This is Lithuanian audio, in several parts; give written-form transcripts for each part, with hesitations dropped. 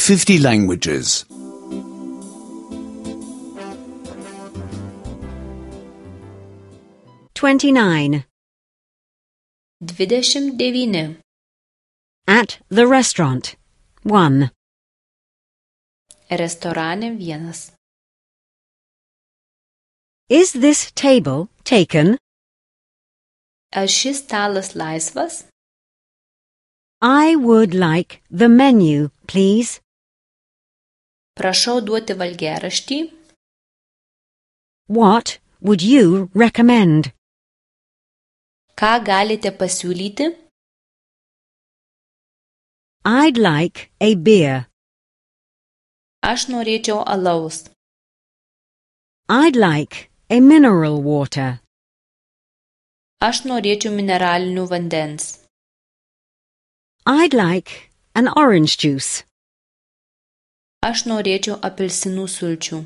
50 languages. 29. 29. At the restaurant. 1. Restorane 1. Is this table taken? Ar šis stalas laisvas? I would like the menu, please. Prašau duoti valgiaraštį. What would you recommend? Ką galite pasiūlyti? I'd like a beer. Aš norėčiau alaus. I'd like a mineral water. Aš norėčiau mineralinių vandens. I'd like an orange juice. Aš norėčiau apelsinų sulčių.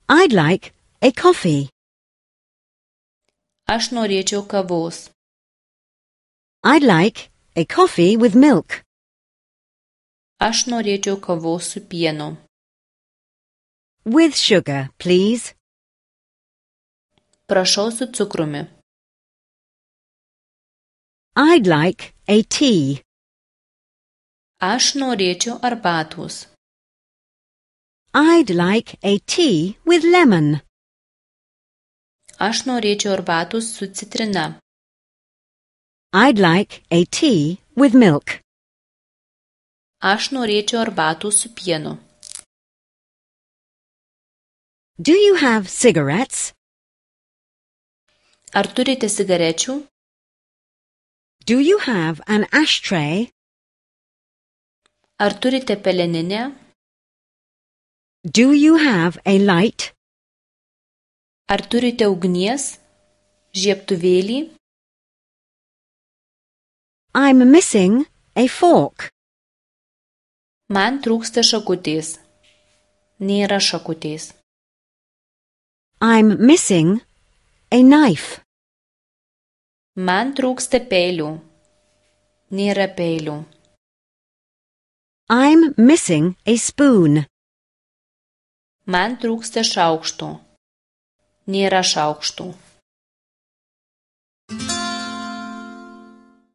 I'd like a coffee. Aš norėčiau kavos. I'd like a coffee with milk. Aš norėčiau kavos su pienu. With sugar, please. Prašau su cukrumi. I'd like a tea. Aš norėčiau arbatos. I'd like a tea with lemon. Aš norėčiau arbatos su citrina. I'd like a tea with milk. Aš norėčiau arbatos su pienu. Do you have cigarettes? Ar turite cigarečių? Do you have an ashtray? Ar turite peleninę? Do you have a light? Ar turite ugnies? Žiebtuvėlį? I'm missing a fork. Man trūksta šakutės. Nėra šakutės. I'm missing a knife. Man trūksta peilių. Nėra peilių. I'm missing a spoon. Man trūksta šaukštų. Nėra šaukštų.